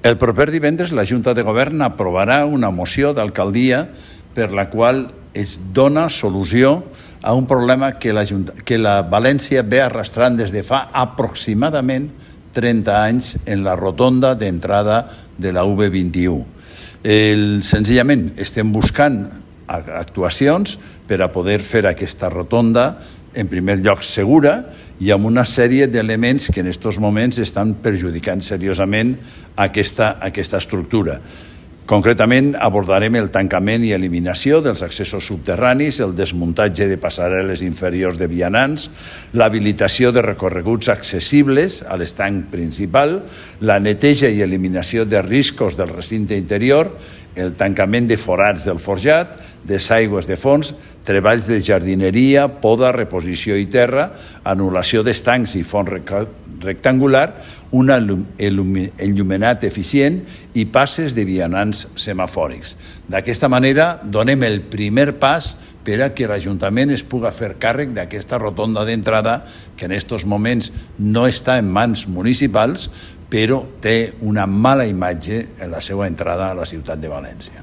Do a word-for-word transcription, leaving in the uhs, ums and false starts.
El proper divendres la Junta de Govern aprovarà una moció d'alcaldia per la qual es dona solució a un problema que la, Junta, que la València ve arrastrant des de fa aproximadament trenta anys en la rotonda d'entrada de la U B vint-i-u. El, senzillament estem buscant actuacions per a poder fer aquesta rotonda en primer lloc segura i amb una sèrie d'elements que en aquests moments estan perjudicant seriosament aquesta, aquesta estructura. Concretament, abordarem el tancament i eliminació dels accessos subterranis, el desmuntatge de passarel·les inferiors de vianants, l'habilitació de recorreguts accessibles a l'estanc principal, la neteja i eliminació de riscos del recinte interior, el tancament de forats del forjat, desaigües de fons, treballs de jardineria, poda, reposició i terra, anul·lació d'estancs i fons rectangular, un enllumenat eficient i passes de vianants semafòrics. D'aquesta manera, donem el primer pas per a que l'Ajuntament es pugui fer càrrec d'aquesta rotonda d'entrada que en aquests moments no està en mans municipals, però té una mala imatge en la seva entrada a la ciutat de València.